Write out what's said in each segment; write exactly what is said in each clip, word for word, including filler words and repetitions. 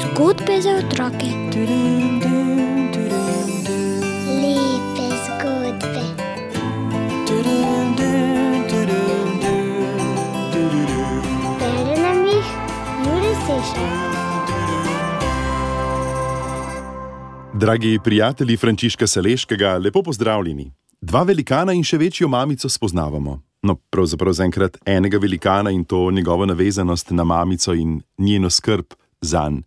Zgodbe za otroke. Lepe zgodbe. Bere nam jih Jure Sešar. Dragi prijatelji Frančiška Saleškega, lepo pozdravljeni. Dva velikana in še večjo mamico spoznavamo. No, pravzaprav zaenkrat enega velikana in to njegovo navezanost na mamico in njeno skrb zanj.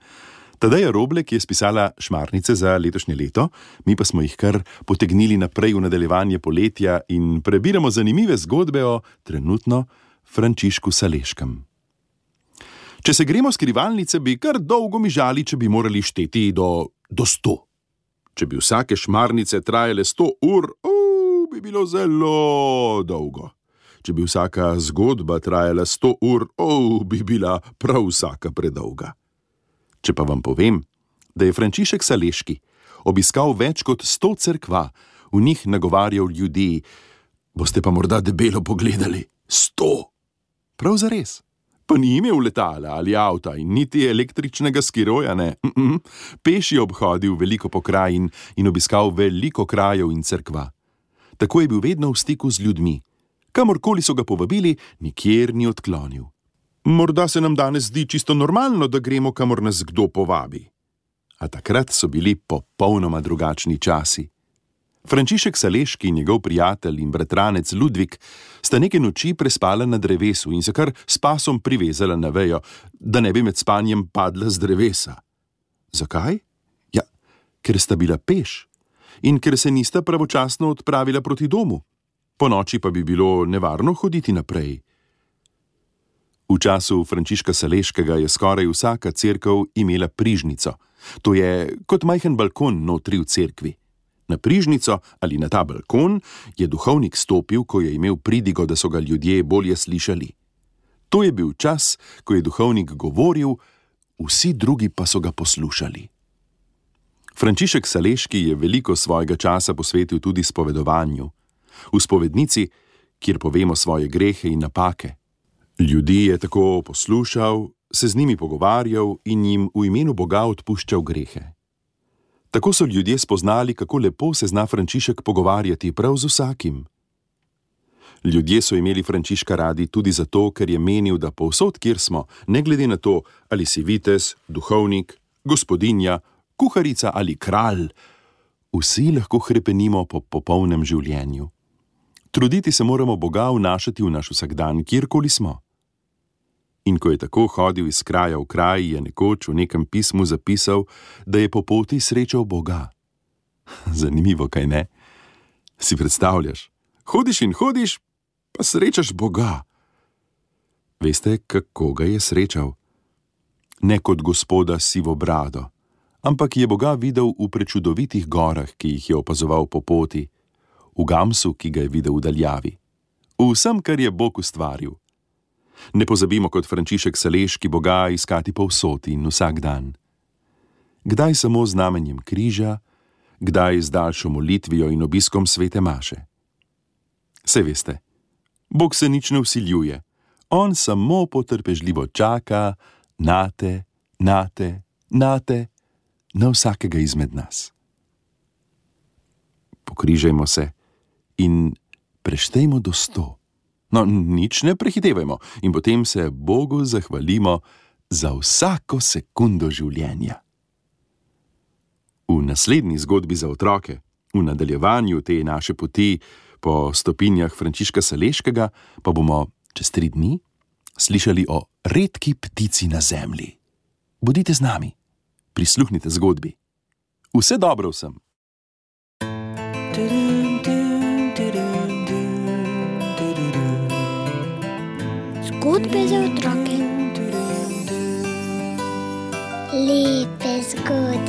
Tadeja Roblek je spisala šmarnice za letošnje leto, mi pa smo jih kar potegnili naprej v nadaljevanje poletja in prebiramo zanimive zgodbe o trenutno Frančišku Saleškem. Če se gremo skrivalnice, bi kar dolgo mižali, če bi morali šteti do, do sto. Če bi vsake šmarnice trajale sto ur, uh, bi bilo zelo dolgo. Če bi vsaka zgodba trajala sto ur, oh, bi bila prav vsaka predolga. Če pa vam povem, da je Frančišek Saleški obiskal več kot sto cerkva, v njih nagovarjal ljudi, boste pa morda debelo pogledali, sto. Prav zares. Pa ni imel letala ali avta in niti električnega skiroja, ne. Mm-mm. Peš je obhodil veliko pokrajin in obiskal veliko krajev in cerkva. Tako je bil vedno v stiku z ljudmi. Kamorkoli so ga povabili, nikjer ni odklonil. Morda se nam danes zdi čisto normalno, da gremo, kamor nas kdo povabi. A takrat so bili popolnoma drugačni časi. Frančišek Saleški in njegov prijatelj in bratranec Ludvik sta neke noči prespala na drevesu in se kar s pasom privezala na vejo, da ne bi med spanjem padla z drevesa. Zakaj? Ja, ker sta bila peš in ker se nista pravočasno odpravila proti domu. Po noči pa bi bilo nevarno hoditi naprej. V času Frančiška Saleškega je skoraj vsaka cerkev imela prižnico. To je kot majhen balkon notri v cerkvi. Na prižnico ali na ta balkon je duhovnik stopil, ko je imel pridigo, da so ga ljudje bolje slišali. To je bil čas, ko je duhovnik govoril, vsi drugi pa so ga poslušali. Frančišek Saleški je veliko svojega časa posvetil tudi spovedovanju. V spovednici, kjer povemo svoje grehe in napake. Ljudi je tako poslušal, se z njimi pogovarjal in jim v imenu Boga odpuščal grehe. Tako so ljudje spoznali, kako lepo se zna Frančišek pogovarjati prav z vsakim. Ljudje so imeli Frančiška radi tudi zato, ker je menil, da povsod, kjer smo, ne glede na to, ali si vitez, duhovnik, gospodinja, kuharica ali kralj, vsi lahko hrepenimo po popolnem življenju. Truditi se moramo Boga vnašati v naš vsakdan, kjerkoli smo. In ko je tako hodil iz kraja v kraj, je nekoč v nekem pismu zapisal, da je po poti srečal Boga. Zanimivo, kaj ne? Si predstavljaš? Hodiš in hodiš, pa srečaš Boga. Veste, kako ga je srečal? Ne kot gospoda sivo brado, ampak je Boga videl v prečudovitih gorah, ki jih je opazoval po poti, v gamsu, ki ga je videl v daljavi, v vsem, kar je Bog ustvaril. Ne pozabimo kot Frančišek Saleški Boga iskati povsod in vsak dan. Kdaj samo z znamenjem križa, kdaj z daljšo molitvijo in obiskom svete maše. Saj veste, Bog se nič ne vsiljuje, on samo potrpežljivo čaka nate, nate, nate, na vsakega izmed nas. Pokrižajmo se in preštejmo do sto. No, nič ne prehitevajmo in potem se Bogu zahvalimo za vsako sekundo življenja. V naslednji zgodbi za otroke, v nadaljevanju te naše poti po stopinjah Frančiška Saleškega, pa bomo čez tri dni slišali o redki ptici na zemlji. Bodite z nami, prisluhnite zgodbi. Vse dobro vsem! Zgodbe za otroke. Lepe zgodbe.